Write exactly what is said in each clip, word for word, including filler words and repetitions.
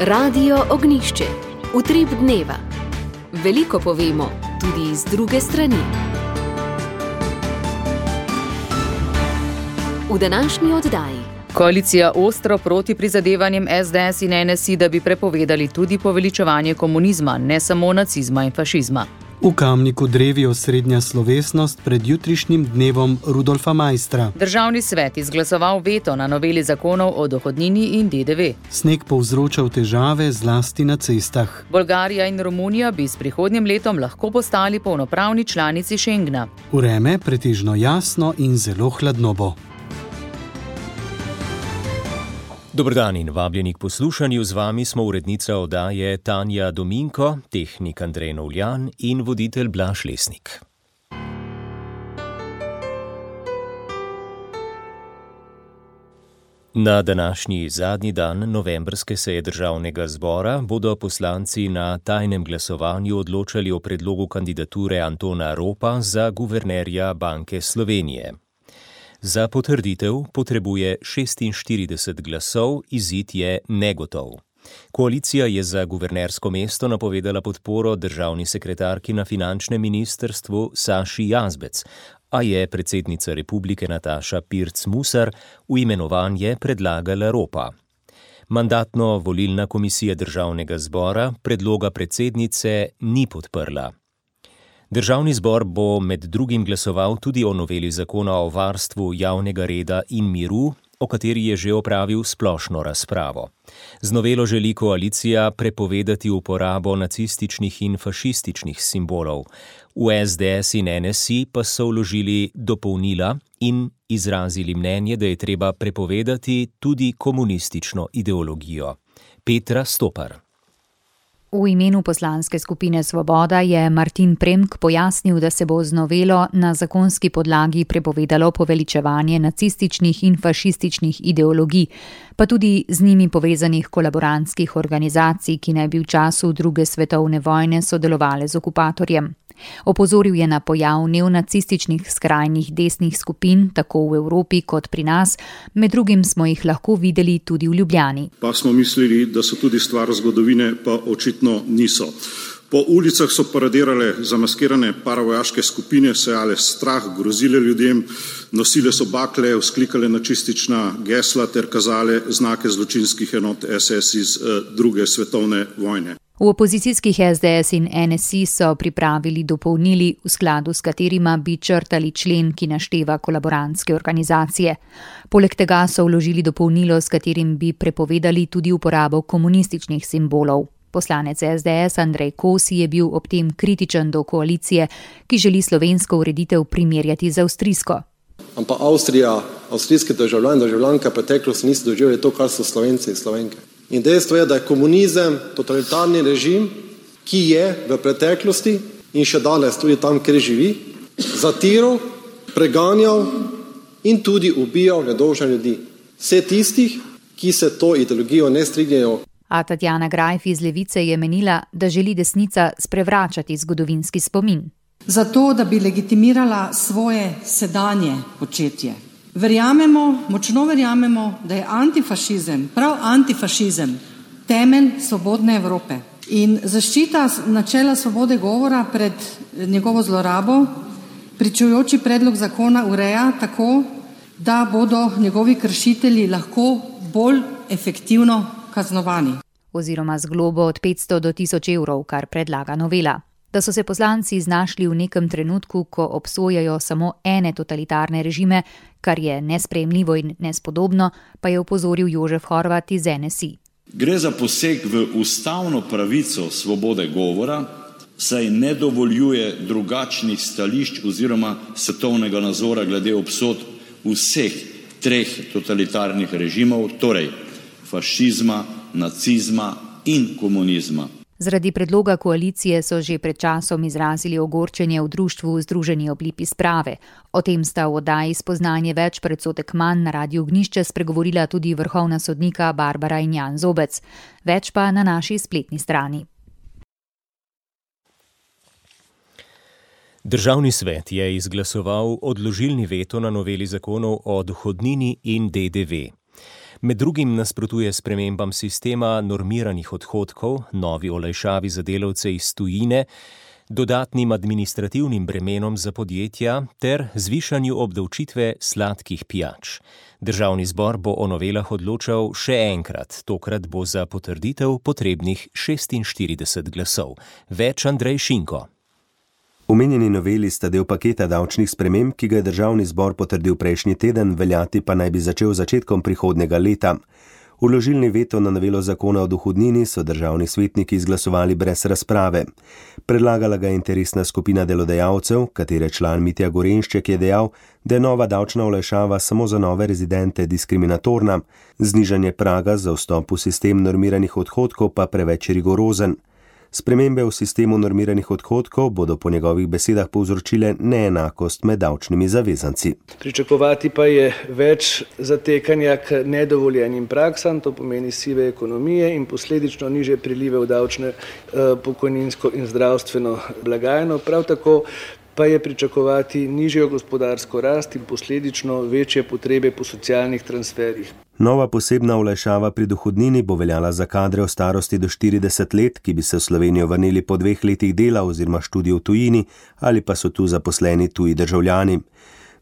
Radio Ognjišče. Utrip dneva. Veliko povemo, tudi iz druge strani. V današnji oddaji. Koalicija ostro proti prizadevanjem es de es in en es i, da bi prepovedali tudi poveličevanje komunizma, ne samo nacizma in fašizma. V Kamniku drevijo srednja slovesnost pred jutrišnjim dnevom Rudolfa Maistra. Državni svet izglasoval veto na noveli zakonov o dohodnini in de de ve. Sneg povzročal težave zlasti na cestah. Bolgarija in Romunija bi s prihodnjim letom lahko postali polnopravni članici Schengna. Vreme pretežno jasno in zelo hladno bo. Dober dan in vabljeni k poslušanju. Z vami smo urednica oddaje Tanja Dominko, tehnik Andrej Novljan in voditelj Blaž Lesnik. Na današnji zadnji dan novembrske seje državnega zbora bodo poslanci na tajnem glasovanju odločali o predlogu kandidature Antona Ropa za guvernerja Banke Slovenije. Za potrditev potrebuje šestinštirideset glasov, izid je negotov. Koalicija je za guvernersko mesto napovedala podporo državni sekretarki na finančnem ministrstvu Saši Jazbec, a je predsednica republike Nataša Pirc Musar v imenovanje predlagala Ropa. Mandatno-volilna komisija državnega zbora predloga predsednice ni podprla. Državni zbor bo med drugim glasoval tudi o noveli zakona o varstvu javnega reda in miru, o kateri je že opravil splošno razpravo. Z novelo želi koalicija prepovedati uporabo nacističnih in fašističnih simbolov. V es de es in en es i pa so vložili dopolnila in izrazili mnenje, da je treba prepovedati tudi komunistično ideologijo. Petra Stopar. V imenu poslanske skupine Svoboda je Martin Premk pojasnil, da se bo z novelo na zakonski podlagi prepovedalo poveličevanje nacističnih in fašističnih ideologij, pa tudi z njimi povezanih kolaborantskih organizacij, ki naj bi v času druge svetovne vojne sodelovale z okupatorjem. Opozoril je na pojav neonacističnih skrajnih desnih skupin, tako v Evropi kot pri nas, med drugim smo jih lahko videli tudi v Ljubljani. Pa smo mislili, da so tudi stvar zgodovine, pa očitno niso. Po ulicah so paradirale zamaskirane paravojaške skupine, sejale strah, grozile ljudem, nosile so bakle, vzklikale nacistična gesla ter kazale znake zločinskih enot es es iz druge svetovne vojne. V opozicijskih es de es in en es i so pripravili dopolnili, v skladu s katerima bi črtali člen, ki našteva kolaborantske organizacije. Poleg tega so vložili dopolnilo, s katerim bi prepovedali tudi uporabo komunističnih simbolov. Poslanec es de es Andrej Kosi je bil ob tem kritičen do koalicije, ki želi slovensko ureditev primerjati z avstrijsko. Ampak Avstrija, avstrijski državljani, državljanke preteklosti niso doživeli to, kar so Slovenci in Slovenke. In dejstvo je, da je komunizem totalitarni režim, ki je v preteklosti in še danes tudi tam, kjer živi, zatiral, preganjal in tudi ubijal nedolžne ljudi. Vse tistih, ki se to ideologijo ne strinjajo. A Tatjana Grajf iz Levice je menila, da želi desnica sprevračati zgodovinski spomin. Zato, da bi legitimirala svoje sedanje početje. Verjamemo, močno verjamemo, da je antifašizem, prav antifašizem, temelj svobodne Evrope. In zaščita načela svobode govora pred njegovo zlorabo, pričujoči predlog zakona ureja tako, da bodo njegovi kršitelji lahko bolj efektivno kaznovani. Oziroma z globo od petsto do tisoč evrov, kar predlaga novela. Da so se poslanci znašli v nekem trenutku, ko obsojajo samo ene totalitarne režime, kar je nesprejemljivo in nespodobno, pa je opozoril Jožef Horvat iz en es i. Gre za poseg v ustavno pravico svobode govora, saj ne dovoljuje drugačnih stališč oziroma svetovnega nazora glede obsodb vseh treh totalitarnih režimov, torej fašizma, nacizma in komunizma. Zaradi predloga koalicije so že pred časom izrazili ogorčenje v društvu Združeni oblipi sprave. O tem sta v oddaji Spoznanje več predsodek manj na Radiu Ognjišče spregovorila tudi vrhovna sodnika Barbara in Jan Zobec. Več pa na naši spletni strani. Državni svet je izglasoval odložilni veto na noveli zakonov o dohodnini in de de ve. Med drugim nasprotuje spremembam sistema normiranih odhodkov, novi olajšavi za delavce iz tujine, dodatnim administrativnim bremenom za podjetja ter zvišanju obdavčitve sladkih pijač. Državni zbor bo o novelah odločal še enkrat, tokrat bo za potrditev potrebnih šestinštirideset glasov. Več Andrej Šinko. Omenjeni noveli sta del paketa davčnih sprememb, ki ga je državni zbor potrdil prejšnji teden, veljati pa naj bi začel začetkom prihodnjega leta. Vložilni veto na novelo zakona o dohodnini so državni svetniki izglasovali brez razprave. Predlagala ga je interesna skupina delodajalcev, katere član Mitja Gorenšček je dejal, da je nova davčna olajšava samo za nove rezidente diskriminatorna, znižanje praga za vstop v sistem normiranih odhodkov pa preveč rigorozen. Spremembe v sistemu normiranih odhodkov bodo po njegovih besedah povzročile neenakost med davčnimi zavezanci. Pričakovati pa je več zatekanja k nedovoljenim praksam, to pomeni sive ekonomije in posledično nižje prilive v davčne, pokojninsko in zdravstveno blagajno. Prav tako pa je pričakovati nižjo gospodarsko rast in posledično večje potrebe po socialnih transferjih. Nova posebna olajšava pri dohodnini bo veljala za kadre v starosti do štirideset let, ki bi se v Slovenijo vrnili po dveh letih dela oziroma študija v tujini ali pa so tu zaposleni tuji državljani.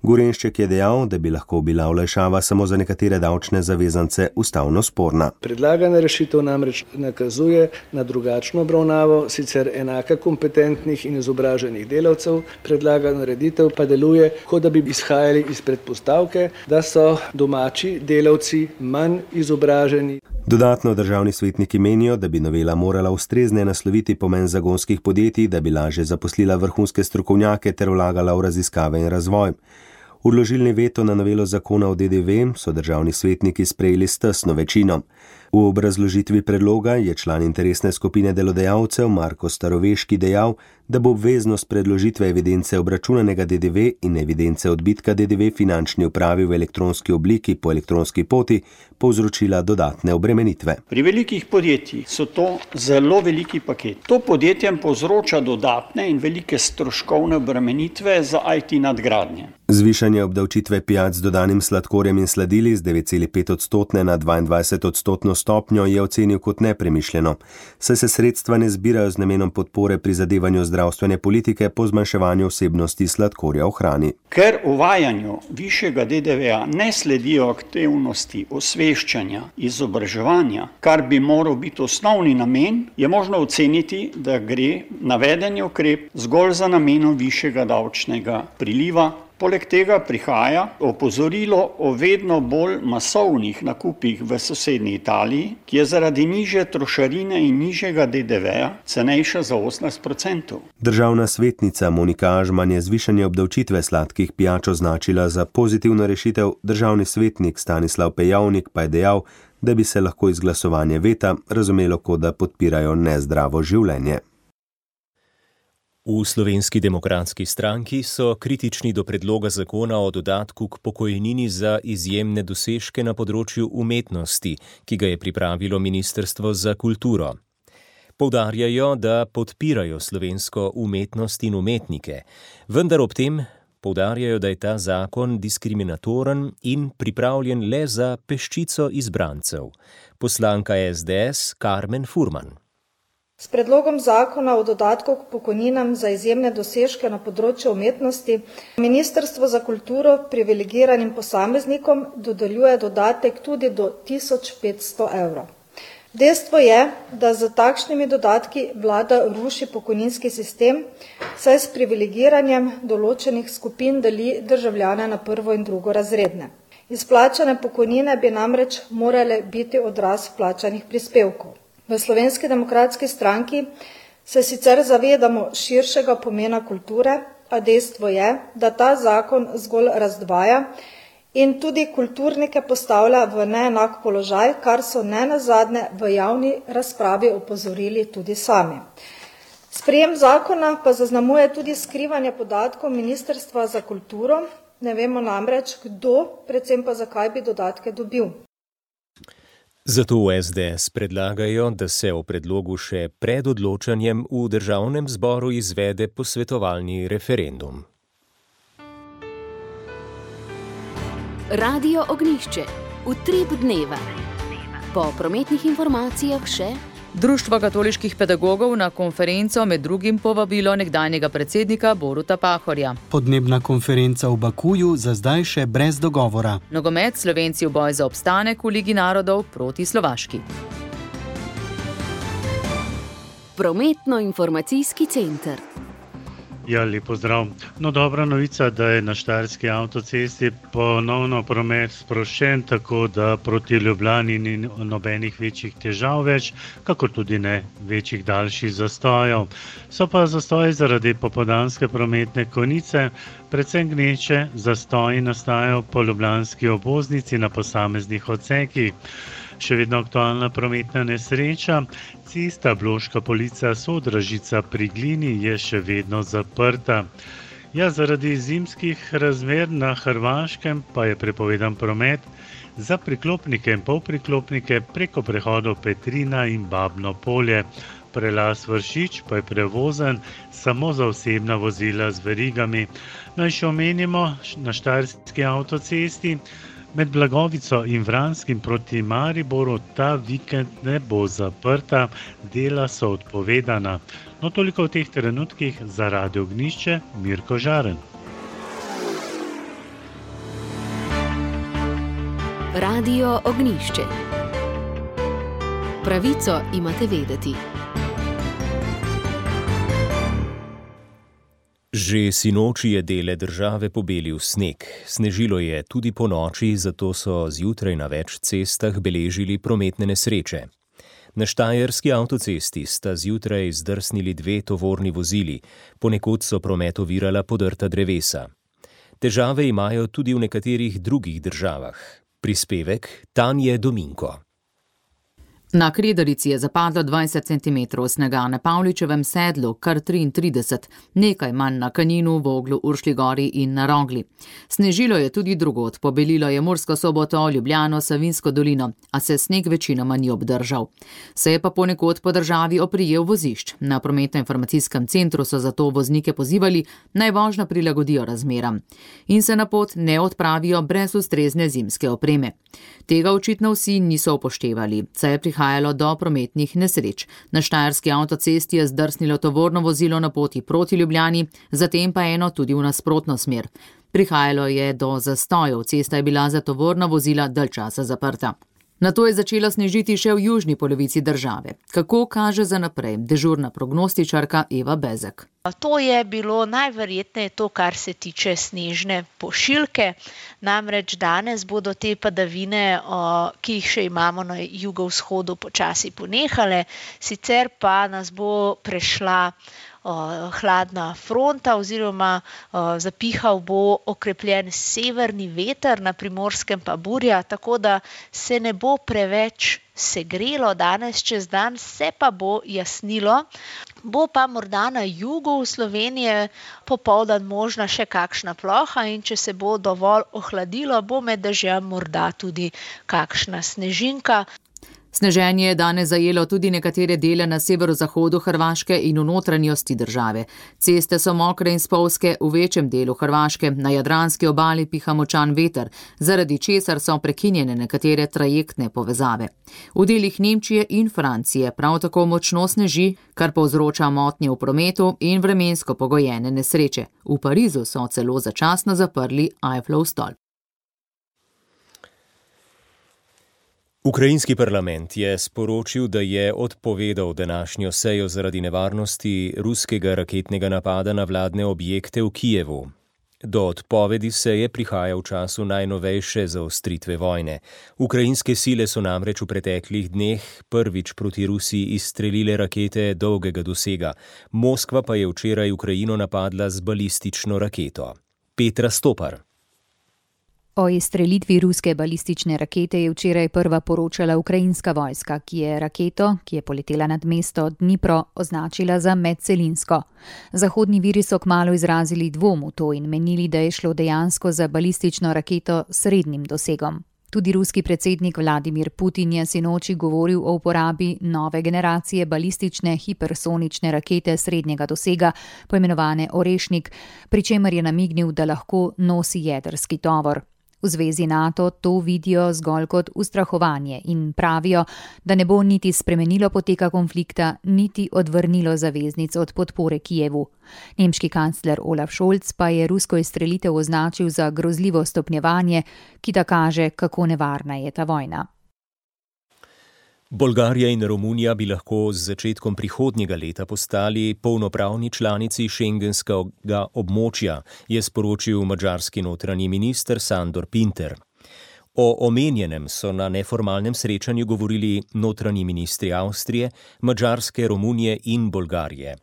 Gorenšček je dejal, da bi lahko bila olajšava samo za nekatere davčne zavezance ustavno sporna. Predlagana rešitev namreč nakazuje na drugačno obravnavo sicer enaka kompetentnih in izobraženih delavcev, predlagana ureditev pa deluje, kot da bi izhajali iz predpostavke, da so domači delavci manj izobraženi. Dodatno državni svetniki menijo, da bi novela morala ustrezneje nasloviti pomen zagonskih podjetij, da bi lažje zaposlila vrhunske strokovnjake ter vlagala v raziskave in razvoj. Vložilni veto na novelo zakona o D D V so državni svetniki sprejeli s tesno večino. V obrazložitvi predloga je član interesne skupine delodajalcev Marko Staroveški dejal, da bo obveznost predložitve evidence obračunanega D D V in evidence odbitka D D V finančni upravi v elektronski obliki po elektronski poti povzročila dodatne obremenitve. Pri velikih podjetjih so to zelo veliki paket. To podjetjem povzroča dodatne in velike stroškovne obremenitve za I T nadgradnje. Zvišanje obdavčitve pijač z dodanim sladkorjem in sladili z devet celih pet odstotne na dvaindvajset odstotno stopnjo je ocenil kot nepremišljeno, saj se sredstva ne zbirajo z namenom podpore prizadevanju zdravstvene politike po zmanjševanju vsebnosti sladkorja v hrani. Ker uvajanju višjega D D V-ja ne sledijo aktivnosti osveščanja, izobraževanja, kar bi moral biti osnovni namen, je možno oceniti, da gre navedeni ukrep zgolj za namenom višjega davčnega priliva. Poleg tega prihaja opozorilo o vedno bolj masovnih nakupih v sosednji Italiji, ki je zaradi nižje trošarine in nižjega D D V-ja cenejša za osemnajst odstotkov. Državna svetnica Monika Ažman je zvišanje obdavčitve sladkih pijač označila za pozitivno rešitev, državni svetnik Stanislav Pejavnik pa je dejal, da bi se lahko izglasovanje veta razumelo, kot da podpirajo nezdravo življenje. V Slovenski demokratski stranki so kritični do predloga zakona o dodatku k pokojnini za izjemne dosežke na področju umetnosti, ki ga je pripravilo Ministrstvo za kulturo. Poudarjajo, da podpirajo slovensko umetnost in umetnike, vendar ob tem poudarjajo, da je ta zakon diskriminatoren in pripravljen le za peščico izbrancev. Poslanka S D S Karmen Furman. S predlogom zakona o dodatku k pokojninam za izjemne dosežke na področju umetnosti Ministrstvo za kulturo privilegiranim posameznikom dodeljuje dodatek tudi do tisoč petsto evrov. Dejstvo je, da z takšnimi dodatki vlada ruši pokojninski sistem, saj s privilegiranjem določenih skupin deli državljane na prvo in drugo razredne. Izplačane pokojnine bi namreč morale biti odraz plačanih prispevkov. V Slovenski demokratski stranki se sicer zavedamo širšega pomena kulture, a dejstvo je, da ta zakon zgolj razdvaja in tudi kulturnike postavlja v neenak položaj, kar so nenazadnje v javni razpravi opozorili tudi sami. Sprejem zakona pa zaznamuje tudi skrivanje podatkov Ministrstva za kulturo, ne vemo namreč, kdo, predvsem pa zakaj bi dodatke dobil. Zato v S D S predlagajo, da se o predlogu še pred odločanjem v državnem zboru izvede posvetovalni referendum. Radio Ognjišče. Utrip dneva. Po prometnih informacijah še Društvo katoliških pedagogov na konferenco med drugim povabilo nekdanjega predsednika Boruta Pahorja. Podnebna konferenca v Bakuju za zdaj še brez dogovora. Nogomet, Slovenci v boj za obstanek v Ligi narodov proti Slovaški. Prometno-informacijski center. Ja, lep pozdrav. No, dobra novica, da je na štajerski avtocesti ponovno promet sproščen, tako da proti Ljubljani ni nobenih večjih težav več, kakor tudi ne večjih daljših zastojev. So pa zastoji zaradi popoldanske prometne konice, predvsem gneče zastoji nastajajo po ljubljanski obvoznici na posameznih odsekih. Še vedno aktualna prometna nesreča. Cesta Bloška Polica Sodražica pri Glini je še vedno zaprta. Ja, zaradi zimskih razmer na Hrvaškem pa je prepovedan promet za priklopnike in polpriklopnike preko prehodov Petrina in Babno polje. Prelaz Vršič pa je prevozen samo za osebna vozila z verigami. Naj še omenimo na štajerski avtocesti. Med Blagovico in Vranskim proti Mariboru ta vikend ne bo zaprta, dela so odpovedana. No, toliko v teh trenutkih za Radio Ognjišče, Mirko Žaren. Radio Ognjišče. Pravico imate vedeti. Že sinoči je dele države pobelil sneg. Snežilo je tudi ponoči, zato so zjutraj na več cestah beležili prometne nesreče. Na štajerski avtocesti sta zjutraj zdrsnili dve tovorni vozili, ponekod so promet ovirala podrta drevesa. Težave imajo tudi v nekaterih drugih državah. Prispevek Tanje Dominko. Na Kredarici je zapadlo dvajset centimetrov snega, na Pavličevem sedlu kar triintrideset, nekaj manj na Kaninu, Voglu, Uršlji gori in na Rogli. Snežilo je tudi drugod, pobelilo je Mursko Soboto, Ljubljano, Savinjsko dolino, a se sneg večinoma ni obdržal. Se je pa ponekod po državi oprijel vozišč. Na prometno-informacijskem centru so zato voznike pozivali, naj vožnjo prilagodijo razmeram in se na pot ne odpravijo brez ustrezne zimske opreme. Tega očitno vsi niso upoštevali, saj je prihajalo do prometnih nesreč. Na štajerski avtocesti je zdrsnilo tovorno vozilo na poti proti Ljubljani, zatem pa eno tudi v nasprotno smer. Prihajalo je do zastojev, cesta je bila za tovorna vozila dalj časa zaprta. Nato je začelo snežiti še v južni polovici države. Kako kaže za naprej dežurna prognostičarka Eva Bezek? To je bilo najverjetneje to, kar se tiče snežne pošiljke. Namreč danes bodo te padavine, ki jih še imamo na jugovzhodu, počasi ponehale, sicer pa nas bo prešla hladna fronta oziroma zapihal bo okrepljen severni veter, na Primorskem pa burja, tako da se ne bo preveč segrelo danes čez dan, se pa bo jasnilo. Bo pa morda na jugu Slovenije popoldan možna še kakšna ploha in če se bo dovolj ohladilo, bo med dežjem morda tudi kakšna snežinka. Sneženje je danes zajelo tudi nekatere dele na severozahodu Hrvaške in v notranjosti države. Ceste so mokre in spolzke v večjem delu Hrvaške, na jadranski obali piha močan veter, zaradi česar so prekinjene nekatere trajektne povezave. V delih Nemčije in Francije prav tako močno sneži, kar povzroča motnje v prometu in vremensko pogojene nesreče. V Parizu so celo začasno zaprli Eiffelov stolp. Ukrajinski parlament je sporočil, da je odpovedal današnjo sejo zaradi nevarnosti ruskega raketnega napada na vladne objekte v Kijevu. Do odpovedi seje prihaja v času najnovejše zaostritve vojne. Ukrajinske sile so namreč v preteklih dneh prvič proti Rusiji izstrelile rakete dolgega dosega. Moskva pa je včeraj Ukrajino napadla z balistično raketo. Petra Stopar. O izstrelitvi ruske balistične rakete je včeraj prva poročala ukrajinska vojska, ki je raketo, ki je poletela nad mesto Dnipro, označila za medcelinsko. Zahodni viri so kmalu izrazili dvom v to in menili, da je šlo dejansko za balistično raketo s srednjim dosegom. Tudi ruski predsednik Vladimir Putin je sinoči govoril o uporabi nove generacije balistične hipersonične rakete srednjega dosega, poimenovane Orešnik, pri čemer je namignil, da lahko nosi jedrski tovor. V zvezi NATO to vidijo zgolj kot ustrahovanje in pravijo, da ne bo niti spremenilo poteka konflikta, niti odvrnilo zaveznic od podpore Kijevu. Nemški kancler Olaf Scholz pa je rusko izstrelitev označil za grozljivo stopnjevanje, ki da kaže, kako nevarna je ta vojna. Bolgarija in Romunija bi lahko z začetkom prihodnjega leta postali polnopravni članici šengenskega območja, je sporočil madžarski notranji minister Sandor Pinter. O omenjenem so na neformalnem srečanju govorili notranji ministri Avstrije, Madžarske, Romunije in Bolgarije.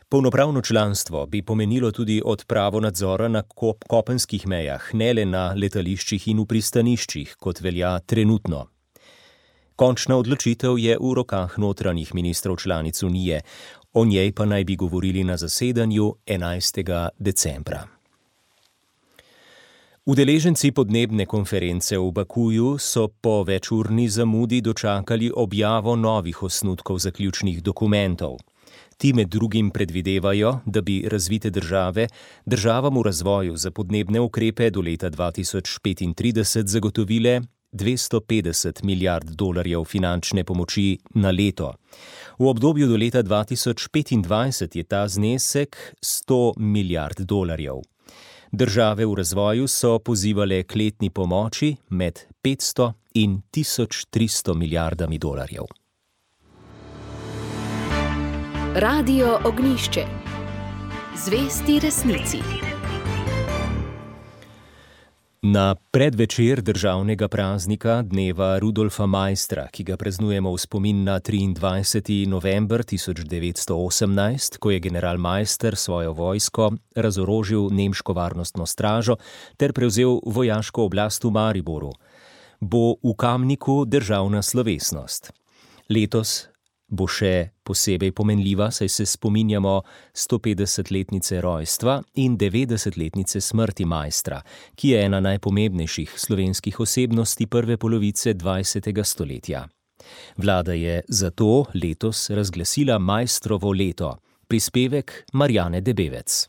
Polnopravno članstvo bi pomenilo tudi odpravo nadzora na kop- kopenskih mejah, ne le na letališčih in v pristaniščih, kot velja trenutno. Končna odločitev je v rokah notranjih ministrov članic Unije, o njej pa naj bi govorili na zasedanju enajstega decembra. Udeleženci podnebne konference v Bakuju so po večurni zamudi dočakali objavo novih osnutkov zaključnih dokumentov. Ti med drugim predvidevajo, da bi razvite države državam v razvoju za podnebne ukrepe do leta dva tisoč petintrideset zagotovile dvesto petdeset milijard dolarjev finančne pomoči na leto. V obdobju do leta dva tisoč petindvajset je ta znesek sto milijard dolarjev. Države v razvoju so pozivale k letni pomoči med petsto in tisoč tristo milijardami dolarjev. Radio Ognjišče. Zvesti resnici. Na predvečer državnega praznika dneva Rudolfa Maistra, ki ga praznujemo v spomin na triindvajseti november tisoč devetsto osemnajst, ko je general Maister svojo vojsko razorožil nemško varnostno stražo ter prevzel vojaško oblast v Mariboru, bo v Kamniku državna slovesnost. Letos bo še posebej pomenljiva, saj se spominjamo stopetdesetletnice rojstva in devetdesetletnice smrti Maistra, ki je ena najpomembnejših slovenskih osebnosti prve polovice dvajsetega stoletja. Vlada je zato letos razglasila Maistrovo leto. Prispevek Marjane Debevec.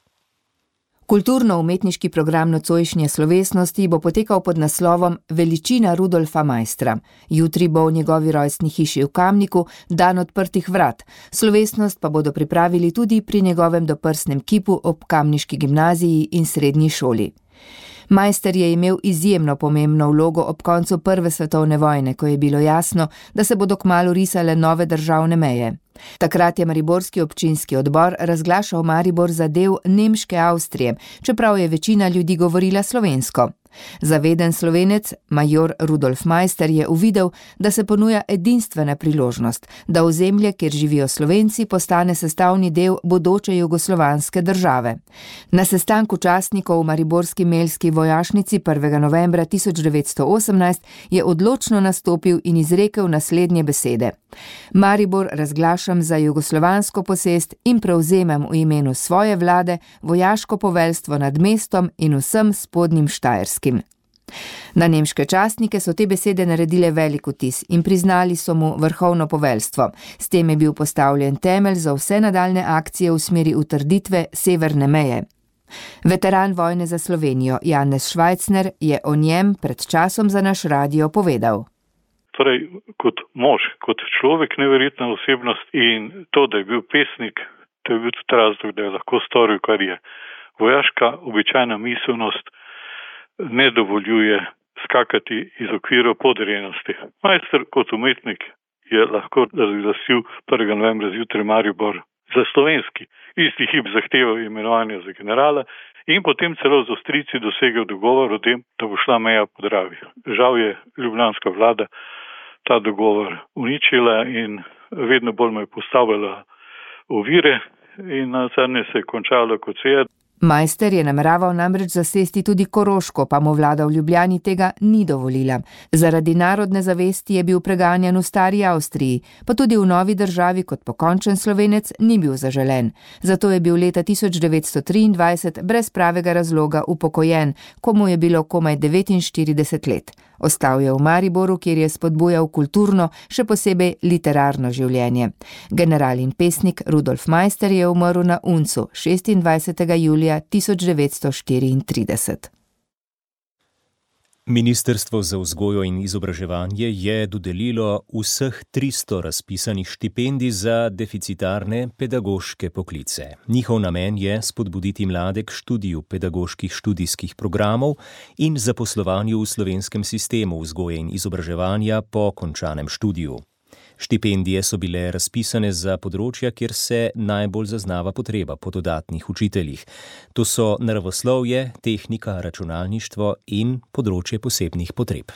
Kulturno-umetniški program nocojšnje slovesnosti bo potekal pod naslovom Veličina Rudolfa Maistra. Jutri bo v njegovi rojstni hiši v Kamniku dan odprtih vrat. Slovesnost pa bodo pripravili tudi pri njegovem doprsnem kipu ob kamniški gimnaziji in srednji šoli. Maister je imel izjemno pomembno vlogo ob koncu prve svetovne vojne, ko je bilo jasno, da se bodo kmalu risale nove državne meje. Takrat je mariborski občinski odbor razglašal Maribor za del nemške Avstrije, čeprav je večina ljudi govorila slovensko. Zaveden Slovenec, major Rudolf Maister, je uvidel, da se ponuja edinstvena priložnost, da ozemlje, kjer živijo Slovenci, postane sestavni del bodoče jugoslovanske države. Na sestanku častnikov v mariborski melski vojašnici prvega novembra tisoč devetsto osemnajst je odločno nastopil in izrekel naslednje besede. Maribor razglašam za jugoslovansko posest in prevzemem v imenu svoje vlade vojaško poveljstvo nad mestom in vsem spodnjim Štajerskim. Na nemške častnike so te besede naredile velik vtis in priznali so mu vrhovno poveljstvo. S tem je bil postavljen temelj za vse nadaljne akcije v smeri utrditve severne meje. Veteran vojne za Slovenijo Janez Švajcner je o njem pred časom za naš radio povedal. Torej, kot mož, kot človek, neverjetna osebnost in to, da je bil pesnik, to je bil tudi razlog, da je lahko storil, kar je. Vojaška običajna miselnost ne dovoljuje skakati iz okvirov podrejenosti. Maister kot umetnik je lahko razglasil prvega novembra zjutraj Maribor za slovenski. Isti hip zahteval imenovanje za generala in potem celo z Avstrijci dosegel dogovor o tem, da bo šla meja po Dravi. Žal je ljubljanska vlada ta dogovor uničila in vedno bolj me je postavljala ovire in nazadnje se je končalo kot se je. Maister je nameraval namreč zasesti tudi Koroško, pa mu vlada v Ljubljani tega ni dovolila. Zaradi narodne zavesti je bil preganjan v stari Avstriji, pa tudi v novi državi kot pokončen Slovenec ni bil zaželen. Zato je bil leta tisoč devetsto triindvajset brez pravega razloga upokojen, ko mu je bilo komaj devetinštirideset let. Ostal je v Mariboru, kjer je spodbujal kulturno, še posebej literarno življenje. General in pesnik Rudolf Maister je umrl na Uncu šestindvajsetega julija tisoč devetsto štiriintrideset. Ministrstvo za vzgojo in izobraževanje je dodelilo vseh tristo razpisanih štipendij za deficitarne pedagoške poklice. Njihov namen je spodbuditi mlade k študiju pedagoških študijskih programov in zaposlovanju v slovenskem sistemu vzgoje in izobraževanja po končanem študiju. Štipendije so bile razpisane za področja, kjer se najbolj zaznava potreba po dodatnih učiteljih. To so naravoslovje, tehnika, računalništvo in področje posebnih potreb.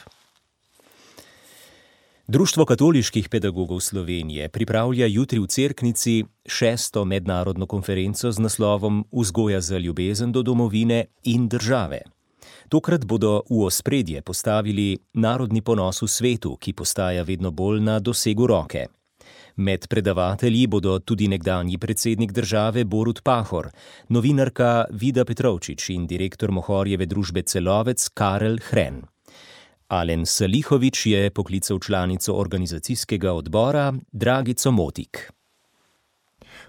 Društvo katoliških pedagogov Slovenije pripravlja jutri v Cerknici šesto mednarodno konferenco z naslovom Vzgoja za ljubezen do domovine in države. Tokrat bodo v ospredje postavili narodni ponos v svetu, ki postaja vedno bolj na dosegu roke. Med predavatelji bodo tudi nekdanji predsednik države Borut Pahor, novinarka Vida Petrovčič in direktor Mohorjeve družbe Celovec Karel Hren. Alen Salihovič je poklical članico organizacijskega odbora Dragico Motik.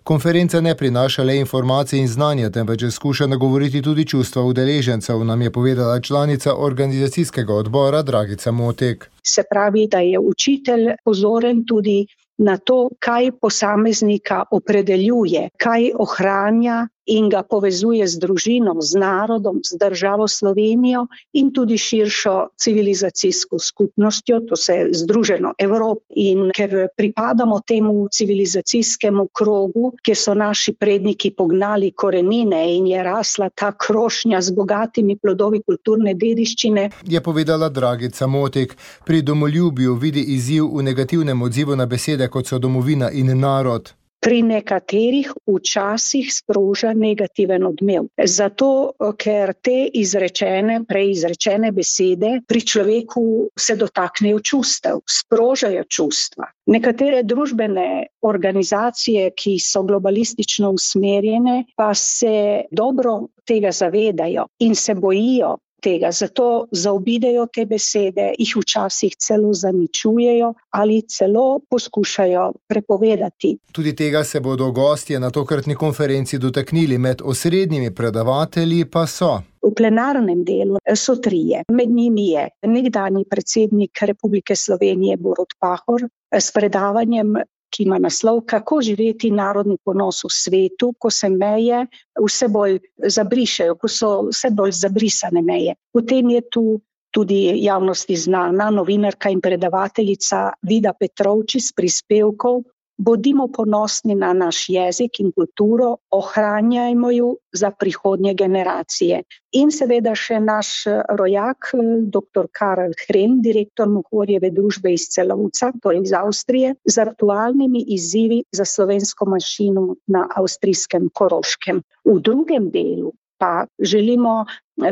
Konferenca ne prinaša le informacije in znanja, temveč skuša nagovoriti tudi čustva udeležencev, nam je povedala članica organizacijskega odbora Dragica Motek. Se pravi, da je učitelj pozoren tudi na to, kaj posameznika opredeljuje, kaj ohranja in ga povezuje z družino, z narodom, z državo Slovenijo in tudi širšo civilizacijsko skupnostjo, to se Združeno Evropo. In ker pripadamo temu civilizacijskemu krogu, kjer so naši predniki pognali korenine in je rasla ta krošnja z bogatimi plodovi kulturne dediščine, je povedala Dragica Motek. Pri domoljubju vidi izziv v negativnem odzivu na besede, kot so domovina in narod. Pri nekaterih včasih sproža negativen odmev. Zato, ker te izrečene, prej izrečene besede pri človeku se dotaknejo čustev, sprožajo čustva. Nekatere družbene organizacije, ki so globalistično usmerjene, pa se dobro tega zavedajo in se bojijo tega, zato zaobidejo te besede, jih včasih celo zaničujejo ali celo poskušajo prepovedati. Tudi tega se bodo gostje na tokratni konferenci dotaknili, med osrednjimi predavatelji pa so. V plenarnem delu so trije. Med njimi je nekdanji predsednik Republike Slovenije Borut Pahor s predavanjem, ki ima naslov Kako živeti narodni ponos v svetu, ko se meje vse bolj zabrišejo, ko so vse bolj zabrisane meje. Potem je tu tudi javnosti znana novinarka in predavateljica Vida Petrovčič s prispevkov Bodimo ponosni na naš jezik in kulturo, ohranjajmo ju za prihodnje generacije. In seveda še naš rojak, doktor Karel Hren, direktor Mohorjeve družbe iz Celovca, torej iz Avstrije, z aktualnimi izzivi za slovensko manjšino na avstrijskem Koroškem. V drugem delu pa želimo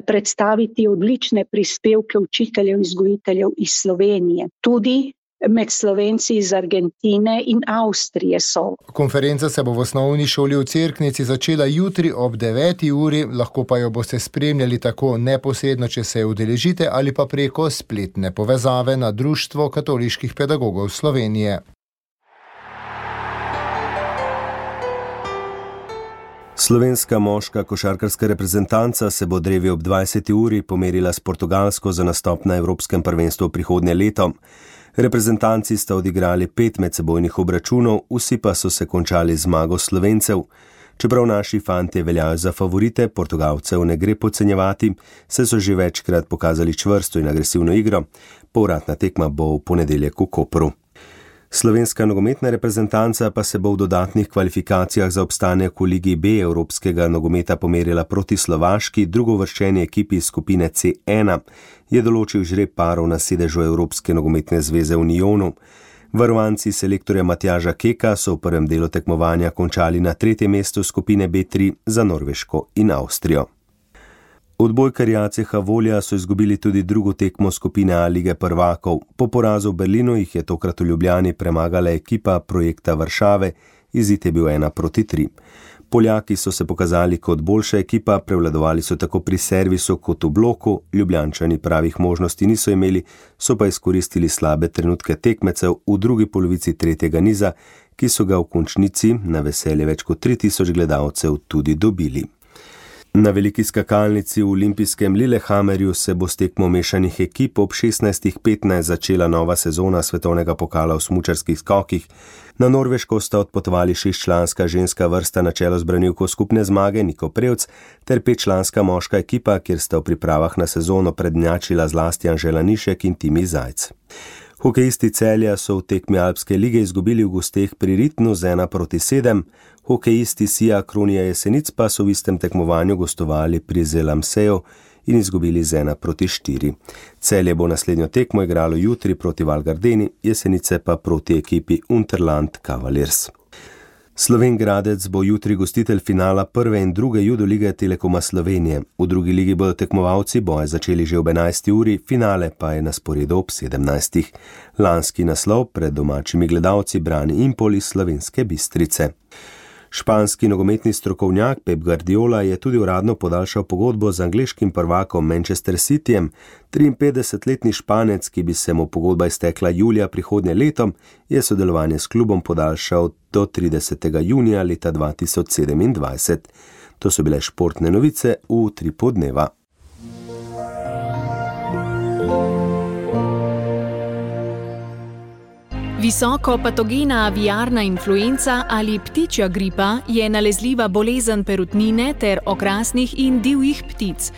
predstaviti odlične prispevke učiteljev in vzgojiteljev iz Slovenije, tudi med Slovenci iz Argentine in Avstrije so. Konferenca se bo v osnovni šoli v Cerknici začela jutri ob deveti uri, lahko pa jo boste spremljali tako neposredno, če se udeležite, ali pa preko spletne povezave na Društvo katoliških pedagogov Slovenije. Slovenska moška košarkarska reprezentanca se bo drevi ob dvajseti uri pomerila s Portugalsko za nastop na Evropskem prvenstvu prihodnje leto. Reprezentanci sta odigrali pet medsebojnih obračunov, vsi pa so se končali zmago Slovencev. Čeprav naši fantje veljajo za favorite, Portugalcev ne gre podcenjevati, saj so že večkrat pokazali čvrsto in agresivno igro. Povratna tekma bo v ponedeljek v Kopru. Slovenska nogometna reprezentanca pa se bo v dodatnih kvalifikacijah za obstanek v Ligi B Evropskega nogometa pomerila proti Slovaški, drugovrščeni ekipi skupine C ena, je določil žreb parov na sedežu Evropske nogometne zveze v Unionu. Varovanci selektorja Matjaža Keka so v prvem delu tekmovanja končali na tretjem mestu skupine B tri za Norveško in Avstrijo. Odbojkarji A C H Volja so izgubili tudi drugo tekmo skupine A lige prvakov. Po porazu v Berlinu jih je tokrat v Ljubljani premagala ekipa projekta Varšave, izid je bil ena proti tri. Poljaki so se pokazali kot boljša ekipa, prevladovali so tako pri servisu kot v bloku, Ljubljančani pravih možnosti niso imeli, so pa izkoristili slabe trenutke tekmecev v drugi polovici tretjega niza, ki so ga v končnici na veselje več kot tri tisoč gledalcev tudi dobili. Na veliki skakalnici v olimpijskem Lillehammerju se bo s tekmo mešanih ekip ob šestnajst petnajst začela nova sezona svetovnega pokala v smučarskih skokih. Na Norveško sta odpotovali šestčlanska ženska vrsta na čelo z branilko skupne zmage Niko Prevc ter petčlanska moška ekipa, kjer sta v pripravah na sezono prednjačila zlasti Anžela Nišek in Timi Zajc. Hokejisti Celja so v tekmi Alpske lige izgubili v gosteh pri Ritnu z ena proti sedem, hokejisti Sija Kronija Jesenic pa so v istem tekmovanju gostovali pri Zelamseju in izgubili z ena proti štiri. Celje bo naslednjo tekmo igralo jutri proti Val Gardeni, Jesenice pa proti ekipi Unterland Cavaliers. Slovenj Gradec bo jutri gostitelj finala prve in druge judo lige Telekoma Slovenije. V drugi ligi bodo tekmovalci boje začeli že ob enajsti uri, finale pa je na sporedu ob sedemnajstih. Lanski naslov pred domačimi gledalci brani Impol iz Slovenske Bistrice. Španski nogometni strokovnjak Pep Guardiola je tudi uradno podaljšal pogodbo z angleškim prvakom Manchester Cityjem. triinpetdesetletni Španec, ki bi se mu pogodba iztekla julija prihodnje leto, je sodelovanje s klubom podaljšal do tridesetega junija leta dva tisoč sedemindvajset. To so bile športne novice v Utripu dneva. Visoko patogena aviarna influenca ali ptičja gripa je nalezljiva bolezen perutnine ter okrasnih in divjih ptic.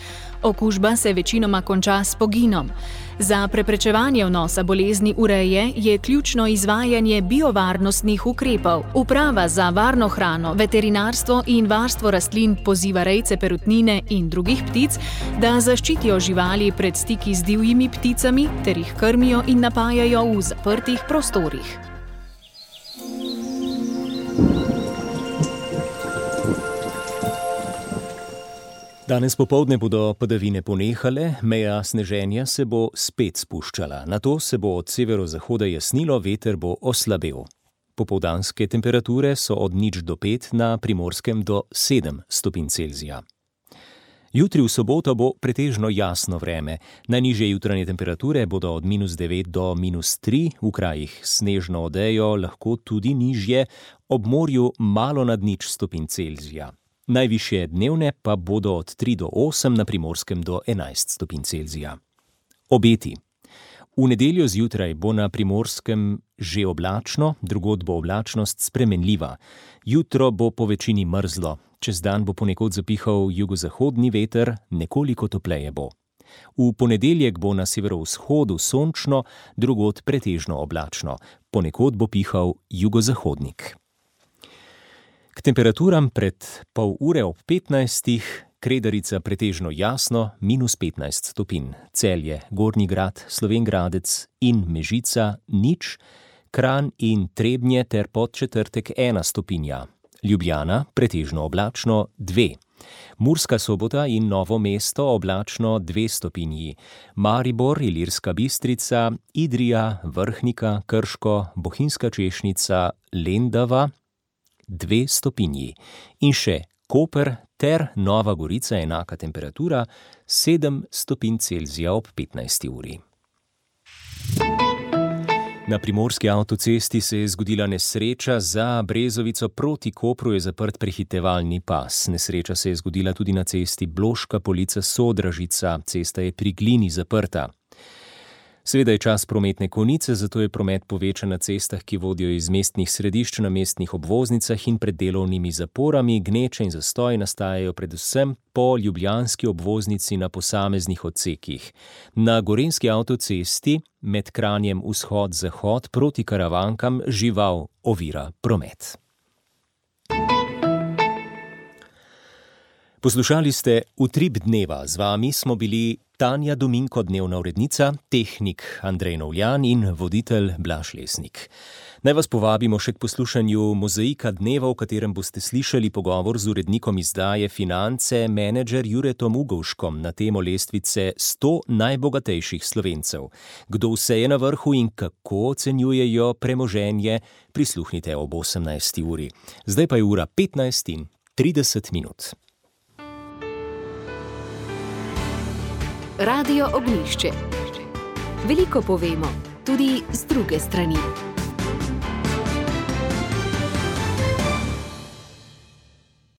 Okužba se večinoma konča s poginom. Za preprečevanje vnosa bolezni v reje je ključno izvajanje biovarnostnih ukrepov. Uprava za varno hrano, veterinarstvo in varstvo rastlin poziva rejce perutnine in drugih ptic, da zaščitijo živali pred stiki z divjimi pticami ter jih krmijo in napajajo v zaprtih prostorih. Danes popoldne bodo padavine ponehale, meja sneženja se bo spet spuščala. Nato se bo od severozahoda jasnilo, veter bo oslabel. Popoldanske temperature so od nič do pet, na Primorskem do sedem stopinj Celzija. Jutri v soboto bo pretežno jasno vreme. Najnižje jutranje temperature bodo od minus devet do minus tri, v krajih snežno odejo, lahko tudi nižje, ob morju malo nad nič stopinj Celzija. Najvišje dnevne pa bodo od tri do osem, na Primorskem do enajst stopinj Celzija. Obeti. V nedeljo zjutraj bo na Primorskem že oblačno, drugod bo oblačnost spremenljiva. Jutro bo po večini mrzlo, čez dan bo ponekod zapihal jugozahodni veter, nekoliko topleje bo. V ponedeljek bo na severovzhodu sončno, drugod pretežno oblačno, ponekod bo pihal jugozahodnik. K temperaturam pred pol ure ob petnajstih, Kredarica pretežno jasno, minus petnajst stopinj, Celje, Gornji Grad, Slovenj Gradec in Mežica nič, Kranj in Trebnje ter Podčetrtek ena stopinja, Ljubljana pretežno oblačno dve, Murska Sobota in Novo mesto oblačno dve stopinji, Maribor, Ilirska Bistrica, Idrija, Vrhnika, Krško, Bohinjska Češnica, Lendava dve stopinji in še Koper ter Nova Gorica enaka temperatura sedem stopinj Celzija ob petnajsti uri. Na primorski avtocesti se je zgodila nesreča, za Brezovico proti Kopru je zaprt prehitevalni pas. Nesreča se je zgodila tudi na cesti Bloška Polica Sodražica, cesta je pri Glini zaprta. Seveda je čas prometne konice, zato je promet povečan na cestah, ki vodijo iz mestnih središč na mestnih obvoznicah in pred delovnimi zaporami. Gneče in zastoji nastajajo predvsem po ljubljanski obvoznici na posameznih odsekih. Na gorenjski avtocesti med Kranjem vzhod-zahod proti Karavankam žival ovira promet. Poslušali ste Utrip dneva, z vami smo bili Tanja Dominko, dnevna urednica, tehnik Andrej Novljan in voditelj Blaž Lesnik. Naj vas povabimo še k poslušanju Mozaika dneva, v katerem boste slišali pogovor z urednikom izdaje Finance, menedžer Juretom Ugovškom na temo lestvice sto najbogatejših Slovencev. Kdo vse je na vrhu in kako ocenjujejo premoženje, prisluhnite ob osemnajsti uri. Zdaj pa je ura petnajst in trideset minut. Radio Ognjišče. Veliko povemo, tudi z druge strani.